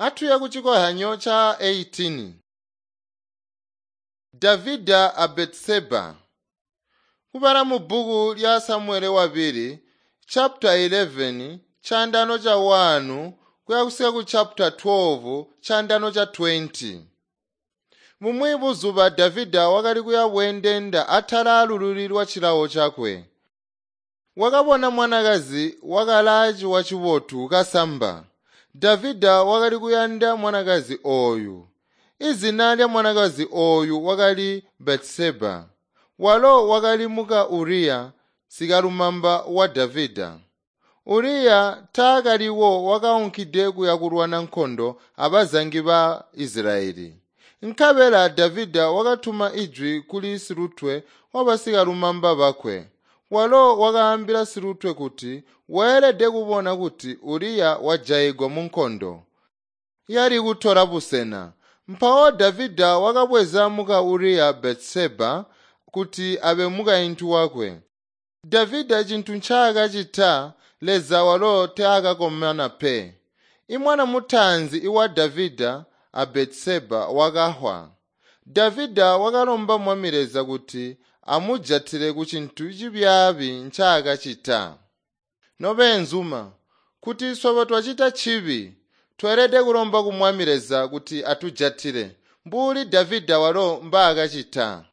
Atuye ku cikohyanyo ca 18. Davida a Betseba. Kubala mu bbuku lya Samuele wabili chapter 11 chandano cha 1 kuya kusika ku chapter 12 chandano cha 20. Bumwi buzuba Davida wakali kuya bweendenda atala alululi lwa cilawo cakwe. Wakabona mwanakazi wakalaa ciwa cibotu kasamba. Davida wakali kuyanda mwanakazi ooyu. Izina lya mwanakazi ooyu wakali Batseba. Walo wakali muka Uriya, sikalumamba wa Davida. Uriya taakaliwo wakaunkide kuya kulwana nkondo abazangi ba Isilayeli. Nkabela Davida wakatuma ijwi kuli silutwe wabasikalumamba bakwe. Walo wakaambila silutwe kuti weelede kubona kuti Uriya wajayigwa munkondo yali kutola busena. Mpawo Davida wakabweza muka Uriya Batseba kuti abe mukaintu wakwe. Davida cintu ncaakacita Leza walo taakakomana pe. Imwana mutaanzi iwa Davida a Batseba wakahwa. Davida wakalomba Mwami Leza kuti amujatile ku cintu cibyaabi ncaakacita. Nobeenzuma, kuti swebo twacita cibi, tweelede kulomba ku Mwami Leza kuti atujatile, mbuli Davida walo mbaakacita.